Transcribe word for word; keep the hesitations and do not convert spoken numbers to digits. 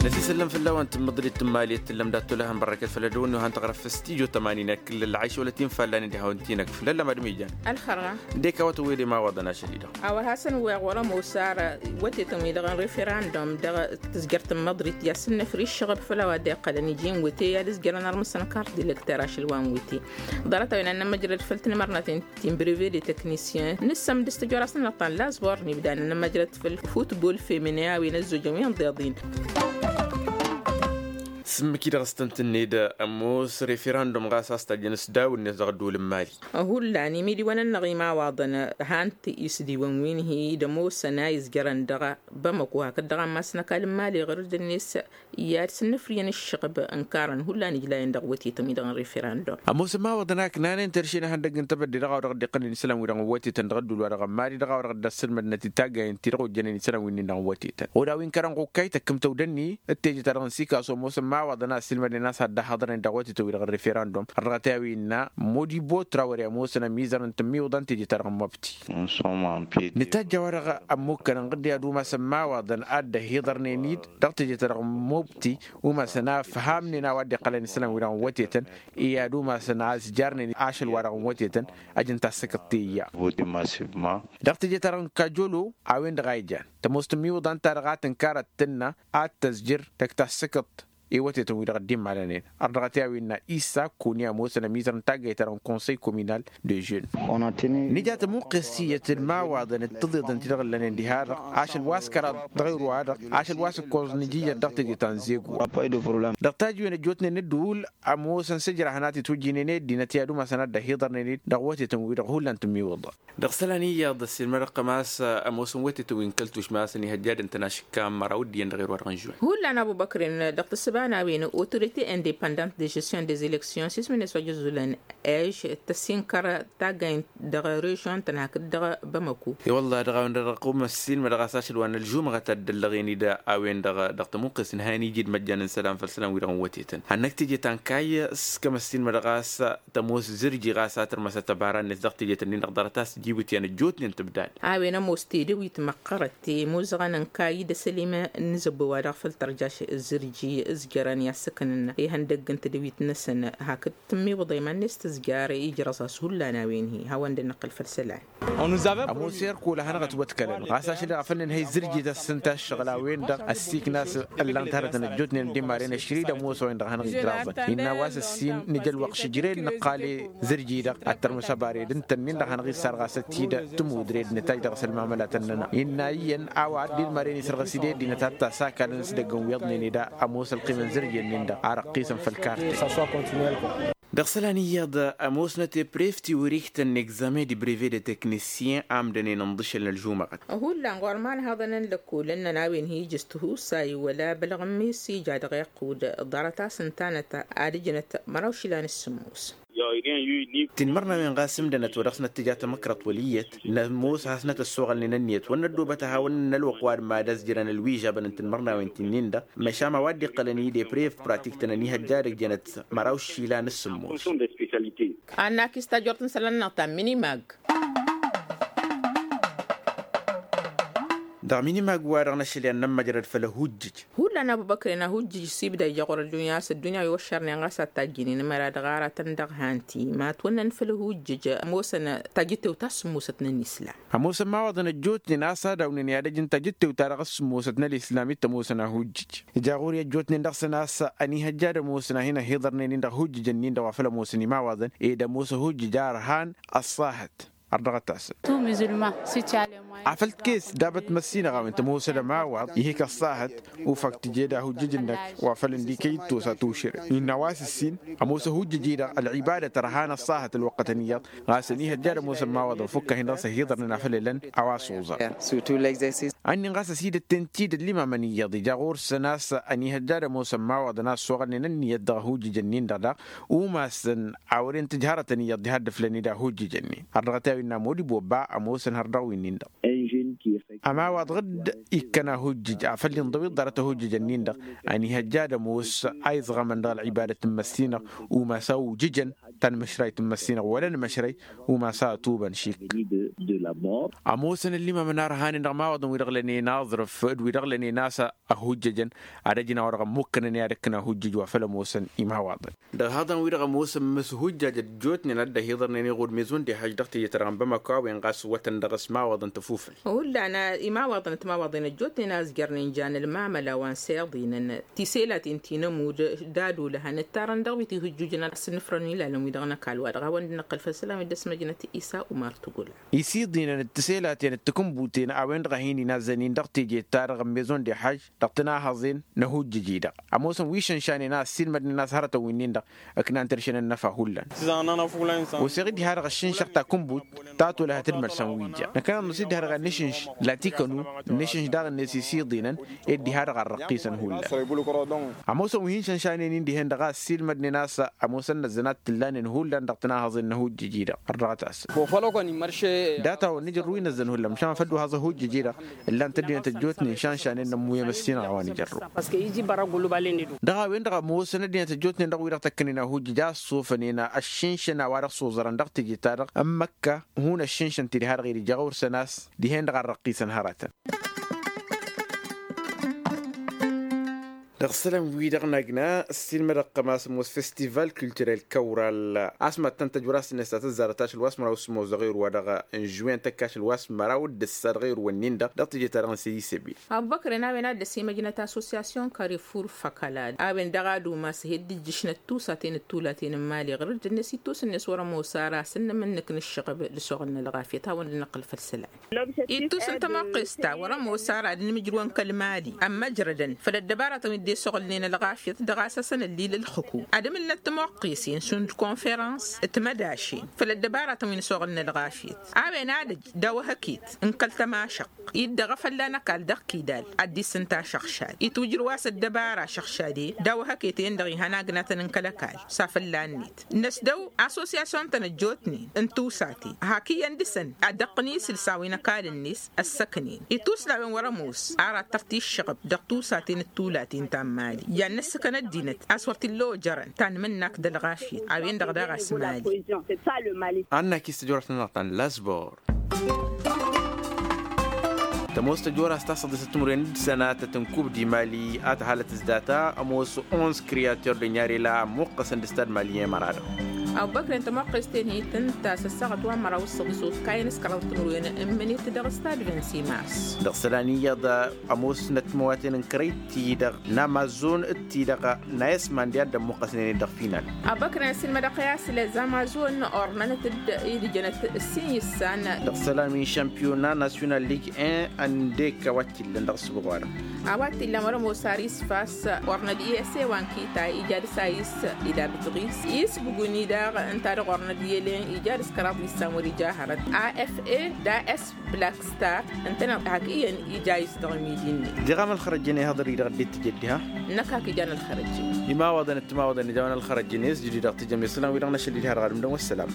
Ăsisăllăm fălla-wen tǝmmǝḍrit n-imali ăttăllăm dat-tolăhăn bărrăkăt făll-ădăwănnu han tăɣrăf s-tijo tămanin akǝllăl lăɣayš wăla t-infallan d-ihawăn-t-inăk făll-ăllăm ad-ămijăn. Ălxărra. Dek a-wa tăwwele imawaḍăn ašăl-i-dăɣ. A-wa hasăn-weɣ wăr-ămoos ara wătetăn-wi-dăɣ n-referandum dăɣ-tǝzjăr tǝmmǝḍrit i-ad-sǝnnăfri ǝššăɣăb făll-a-wa dd-iqqălăn iji n-wete i-ad-ǝzjărăn armǝsăn kart d-elekter ašăl wa n-wete. Ḍarăt-a-wen ad-nămmăjrăd făll-tinmărnaten ti n-breve de teknisyen nǝssăm d-s tăjorasăn n-ăṭṭan lazbor n-ibda ad-nămmăjrăd făll-futbol feminen a-wen ăzzojăn wi n-iḍeḍin. S-ǝmmǝk-i dăɣ-s tăn-tǝnned ămoos referandum ɣas a-s tajjăn s-daw-net dăɣ-ădduul n-mali. Hullan imidiwăn-nănăɣ imawaḍăn han-t isdiwăn wi n-hi-dd-ămoosăn a izjărăn dăɣ-bamăko hakd dăɣ-ammas n-ăkall n-mali ɣur-dd-net i-ad-sǝnnǝfrǝyăn ǝššăɣb ǝnkarăn hullan ijlayăn dăɣ-wătetăn-wi-dăɣ n-referandum. Ămoosăn imawaḍăn a ǝknanen terše n-ehăndăgg n-tebădde dăɣ-a-wa dăɣ-dd-iqqălăn isălan-wi-dăɣ n-wătetăn dăɣ-ădduul-wa-dăɣ n-mali dăɣ-a-wa dăɣ-dd-ăssǝlmădnăt i-taggayen-ti-dăɣ ojjănen isălan-wi-nin-dăɣ n-wătetăn. Oda wi n-kărăn ɣukkay tăkkǝm tăwdănni d-teje-ta-dăɣ n-sikasu ămoosăn imawaḍăn a ăssiilmădnen a-s ad-dd-ăhhăḍărnen dăɣ-wătetăn-wi-dăɣ n-referandum. Ărrăɣăt i-a-wi innă modibo trawăre ămoosăn ămizărăn tǝmmiwǝḍăn teje-ta-dăɣ n-măbti. Nǝtajj a-wa-dăɣ ămmukkănăn ɣǝdde ad-umasăn imawaḍăn a dd-ăhhiḍărnen-dd dăɣ-teje-ta-dăɣ n-mobti umasăn a ǝfhamnen a-wa dd-iqqălăn isălan-wi-dăɣ n-wătetăn. I-ad-umasăn a ǝzjarnen ašăl-wa-dăɣ n-wătetăn. Ăj n-tassǝkǝḍt teyya. Dăɣ-teje-ta-dăɣ n-kajolo a-wen-dăɣ a ijan tămoos tǝmmiwǝḍan-ta-dăɣ a tǝnkar ad-tǝnnă ad-tăzjăr dăɣ-tassǝkǝḍt i-wătetăn-wi-dăɣ dd-immalănen. Ărdăɣăt i-a-wen n-a issa koni ămoosăn ămizăr n-taggayt-ta-dăɣ n-konsăy kominal de žen. Nǝja tămuqqes iyyăt d-imawaḍăn d-tiḍeḍăn ti-dăɣ ǝllănen diha-dăɣ ašăl wa s-kăraḍ dăɣ-ewru-wa-dăɣ ašăl wa s-ǝkkoẓ n-ijijăt dăɣ-teje ta n-zego. Dăɣ-tajj-wen ăjjootnen n-ǝddǝwǝl ămoosăn s-ǝjrahăn a t-itwǝjjǝynen i-ăddinăt i-ad-umasăn a dd-ăhiḍărnen-dd dăɣ-wătetăn-wi-dăɣ hullan tǝmmiwǝḍa. Dăɣ-isălan iyyăḍ ăssiilmădăɣ-tăn a-s ămoosăn wătetăn wi n-kăl-tušma a-s ănihăjjadăn-tăn ašǝkka n-măraw ǝddiyăn dăɣ-erwa-dăɣ n-žuwin. Hullan abubăkrin dăɣ-tǝssǝba n-a-wen autorite independant de gestion des elections s-ismǝn-net wa jăzzulăn ež tăsinkăr taggaynt dăɣ-režion-tăn hakd dăɣ-bamăko. I-wălla dăɣ-a-wen-dăɣ dăɣ-tăqqum ăssiilmădăɣ a-s ašăl wa n-ălžumăɣăt a dd-ăllăɣen-dd a-wen-dăɣ dăɣ-tămuqqes n-han iji d-măjjan n-isălan făll-isălan-wi-dăɣ n-wătetăn hannăk teje ta n-kayy s-kămăssin mădăɣ a-s tămoos zǝrji ɣas a tărmăsăt ăbara-net dăɣ-teje-tăn-in-dăɣ ḍarăt a-s ǝjibǝtyan ăjjootnen tǝbdad. A-wen ămoos tedăwit măqqărăt temuzăɣăn n-kayy d-asălim n-zăbbo-wa-dăɣ făll-tărjaš zǝrji ǝzjărăn i-ad-săknăn ihăndăgg n-tedăwit-năsăn hakd tǝmmiwǝḍa iman-net tǝzjar ijrăẓ-as hullan a-wen-hi hawăn-dd-năqqǝl făll-isălan. Ămoos erkul a hanăɣ-ătwătkălăn ɣas ašăl-i-dăɣ a făl nǝnhăy zǝrjit a-s ǝnta ăššăɣǝl a-wen-dăɣ ăssiikna a-s ǝllan-t hărătăn ăjjootnen d-imaren ăšri d-ămoos a-wen-dăɣ a hanăɣ-ijraẓăn innă a-wa s-ǝssin nǝja ălwăqq šǝjred nǝqqal i-zǝrji-dăɣ ad-tărmǝs ăbared ǝnta-nin-dăɣ hanăɣ-issar ɣas ăttidă tǝmudred nǝtajj dăɣ-s ălmamălatăn-nănăɣ innă iyyăn a-wa dd-ilmaren isărɣǝs-dd i-ăddinăt ad-t-asakalăn s-idăgg n-wiḍnen ed a ămoos ălqim n-zǝrji-nin-dăɣ a răqqisăn făll-karte. Dăɣ-isălan iyyăḍ ămoosnăt eprevt iwǝriktăn n-egzamen d-ibreve de teknisyen a ǝmdănen ǝnḍǝšăl n-ălžumăɣăt. Hullan ɣur-imanhăḍăn n-lăkol ǝnnăn a-wen hi-ijǝs tihusay wăla bălɣ n-misi ija dăɣ-iqqud ḍarăt-as ǝntanăt ad-ǝjnăt măraw išilan s-sǝmmos. Tinmărnawen ɣas ǝmdănăt wa dăɣ-snăt tǝja tamăkrăḍt wăl' iyyăt nămoos hasnăt ăssoɣălnen ǝnniyăt wăr năddoobăt ad-hawăn-nălwăqq wa d-mad-ăzjărăn ălwižabăn n-tinmărnawen ti-nin-dăɣ. Măšan a-wa dd-iqqălăn i-deprev pratik-tăn ănihăjja ad-ăjjănăt măraw išilan s-sǝmmos. Annak-is tajort n-isălan-năɣ ta n-minimag. Dăɣ-minimag-wa-dăɣ n-ašăl i-ad-nămmăjrăd făll-ahujjǝj. Hullan abubăkren ahujjǝj s-ibda ija ɣur-ăddunya a-s ăddunya wi wăššărnen ɣas ad-tajjǝnen măra dăɣ-aratăn dăɣ-han-ti ma ătwănnăn făll-ahujjǝj ămoosăn tajǝttewt ta s-sǝmmosăt n-ănislam. Ămoosăn imawaḍăn ăjjootnen a-s ad-awnen i-ad-ăj n-tajǝttewt-ta-dăɣ s-sǝmmosăt n-ălislam i-t-ămoosăn ahujjǝj. Ija ɣur-i ăjjootnen dăɣ-săn a-s ănihăjja ad-ămoosăn a hin-ăhhiḍărnen-in dăɣ-ahujjǝj-ǝnnin-dăɣ wa făl ămoosăn imawaḍăn ed ămoos ahujjǝj a ărhan ăṣṣahăt. Ărdăɣăt-asăn. Afăl t-kes dabăt măssinăɣ a-wen tămoosăd ămawaḍ ihik ăṣṣahăt. Ufak tǝjed ahujjǝj-năk wa făl ǝndikăy d-tosa tušǝre innă a-wa s-ǝssin ămoos ahujjǝj-i-dăɣ ălɣibadăt ărhan ăṣṣahăt ălwăqqătăn iyyăḍ. Ɣas ănihăjja ad-ămoos ămawaḍăn fukk-ahin dăɣ-s ăhiḍărnen a făl ǝlăn a-wa s-uẓar. Ănnin ɣas ăsidăt-ten-t-dd ăllimamăn iyyăḍ ija ɣur-săn a-s ănihăjja ad-ămoos ămawaḍăn a ăssoɣălnen ǝnniyăt dăɣ-ahujjǝj-ǝnnin-dăɣ daɣ umasăn a wăren tǝjhărătăn iyyăḍ diha dd-ǝflăn-dd ahujjǝj-ǝnnin. Ărrăɣăt i-a-wi n-amod iboba ămoosăn hărdăɣ-wi-nin-dăɣ. Ămawaḍ ɣǝdd ikkăn ahujjǝj afăl inḍăw iḍarăt ahujjǝj-ǝnnin-dăɣ ănihăjja ad-ămoos a iẓɣămăn dăɣ-ălɣibadăt n-măssinăɣ umas a ujǝjăn. ta n-măšrayt n-măssinăɣ wăla n-măšray. Umas a ătubăn šik. Ămoosăn ăllimamăn arhanen dăɣ-imawaḍăn wi-dăɣ lănen aẓrǝf d-wi-dăɣ lănen a-s ăhujjăjăn ad-ăjǝn a-wa dăɣ-ămmukkănăn i-ad-ǝkkǝn ahujjăj wa făl ămoosăn imawaḍăn. Dăɣ-ihaḍăn-wi-dăɣ ămoosăn măsujjajăt ăjjootnen ad-dd-ăhiḍărnen iɣud mezon d-ihaj dăɣ-teje-ta-dăɣ n-bamako a-wen ɣas ǝwwătăn dăɣ-s imawaḍăn tăfufǝl. Hullan imawaḍăn d-timawaḍen ăjjootnen a ǝzjărnen jan ălmamăla wa n-siḍinăn tiselaten ti n-ămudd d-ad-olăhăn ǝttarăn dăɣ-wi tihǝjjujăn a-s ǝnnǝfrăn ilalăn-wi-dăɣ n-ăkall wa dăɣ-hawăn-dd-năqqăl făll-isălan wi dd-ăsmăjnăt isa umar tugula. Isǝḍinăn d-tiselaten d-tikǝnbuten a-wen-dăɣ a hin-inazzănen dăɣ-teje-ta-dăɣ n-mezon d-ihaj dăɣ-tinahăẓen n-ahujjăj-i-dăɣ ămoosăn wi šănšanen a ăssiilmădnen a-s hărătăn wi-nin-dăɣ. Ǝknan tăršănăn n-afahullan. Oseɣ-dd iha-dăɣ ăššǝnšăɣ takǝnbut ta tolăhăt d-mălsăn wi ija năkăneḍ năsiddi ha-dăɣ ad-nǝšǝnš latikănu nǝšǝnš daɣ-net isiḍinăn. Ed diha-dăɣ ărrăqqisăn hullan. Ămoosăn wi hin-šănšanen-in dihen-dăɣ a ăssiilmădnen a-s ămoosăn năzzănat t-ǝllanen hullan dăɣ-tinahăẓen n-ahujjăj-i-dăɣ ărdăɣăt-asăn. Data-wăn nǝjărrǝw inăzzăn hullan măšan făl dd-uhaẓ ahujjăj-i-dăɣ. Ǝllan-t ăddinăt ăjjootnen šănšanen n-ămmuyyăm ăssinăɣ a-wa nǝjărrǝw. Dăɣ-a-wen-dăɣ ămoosăn ăddinăt ăjjootnen dăɣ-wi-dăɣ tăkkănen ahujjăj a ăṣṣofănen ăššǝnšăn a-wa dăɣ-s oẓărăn dăɣ-teje-ta-dăɣ n-măkka. Hun ăššǝnšăn ti diha-dăɣ-i d-ija-ɣur-săn a-s dihen-dăɣ ărrăqqisăn hărătăn. Dăɣ-isălan-wi-dăɣ n-agna ăssiilmădăɣ-tăm a-s ămoos festival culturel kăwral. A-s mad-tăn-tăjwăr a-s tǝnnes ta tăzzarăt ašăl wa s-măraw s-ămoos dăɣ-erwa dăɣ-n žwen tăkk ašăl wa s-măraw d-ǝssa dăɣ-erwa-nin-dăɣ dăɣ-teje-ta-dăɣ n-săyisăbil. Ăbubăkren a-wen a dd-ăsimăjnăt asosyasyun karefur făkălad a-wen dăɣ-ad-umas hi-dd-ǝjjǝšnăt tusaten d-tulaten n-imali ɣur-dd-net ittus-net wăr-ămoos ara a-s ǝnnǝmǝnnǝk n-ǝššăɣăb d-asoɣǝl n-ălɣafyăt hawăn-dd-năqqǝl făll-isălan. Ittus n-tămoqqes ta wăr-ămoos ara ad-inǝmǝjrǝwăn kăl-imali ămmăjrădăn făll-ăddăbaratăn wi dd-esoɣǝlnen ălɣafyăt dăɣ-a-s hasăn-ăllil ǝlxǝku ad-ǝmǝlnăt tămoqqesen šund konferăns d-timădašen făll-ăddăbaratăn wi n-asoɣǝl n-ălɣafyăt. A-wen ad-ăj daw-ehăket n-kăl-tămašăɣt iddăɣ a fălla n-ăkall dăɣ-kidal ad-dd-issǝnta ašăɣšad itwǝjrǝw a-s ăddăbara ašăɣšad-en daw-ehăket-en-dăɣ ihăn agnatăn n-kăl-ăkall s-afălla-net. Năsdăw asosyasyun-tăn ăjjootnen n-tusaten hak iyyăn dăɣ-săn ad-dăɣ-tăn isǝlsa wi n-ăkall-net ăssăknen ittus n-a-wen wăr-ămoos ara ad-tăr-t-iššăɣăb dăɣ-tusaten d-tulaten ta n-imali. Iyyăn n-ăssǝkăn ăddinăt a-s wăr t-illa ojărăn tanmǝnnak d-ălɣafyăt a-wen-dăɣ daɣ a-s mali. Annak-i s-tăjorăt-nănăɣ ta n-lasbor. Tămoos tăjora s-tasăḍisăt timǝrwen d-sănatăt n-kub d-imali a tăhalăt s-data ămoos onze kriyater d-ănyarela ămmuqqăsăn d-stad mali i-măra-dăɣ. Ăbubăkren tămoqqes-ten hi-tǝnta s-ăssaɣăt wa n-măraw s-săḍis okayăn s-kăraḍ timǝrwen n-mǝnit dăɣ-stad vingt-six mars. Dăɣ-isălan iyyăḍ ămoosnăt măwaten n-kărăy-t-i-dăɣ n-amazon d-ti-dăɣ n-ayăsman diha dd-ămmuqqăsnen-dd dăɣ-final. Ăbubăkren ăssiilmădăɣ-t i-a-s lez amazon ornănăt-dd idǝjănăt ǝssin issan. Dăɣ-isălan wi n-šampiyona nasyonal lig un ăndek a-wa t-illăn dăɣ-ăssuɣ-wa-dăɣ. A-wa t-illăn wăr-ămoos ar isfas ornăd i-ese wa n-kita ija dăɣ-s a is ila bǝtɣis isbǝgun-i daɣ ǝnta-dăɣ ornăd i-elen ija dăɣ-s kăraḍ issan wăr-ija hărăt a f a d-a s black star. Ǝntăneḍ hak iyyăn ija a is dăɣ-midi-net. Diɣam ălxărăjjăn ihăḍăr-i-dăɣ dd-tǝjăd diha. Năkk hak ijan ălxărăjjăn. Imawaḍăn d-timawaḍăn ijawăn ălxărăjjăn i-s jǝdid dăɣ-tijăm isălan wi-dăɣ n-ašăl-i diha dăɣ-adǝm-dăɣ wăssălam.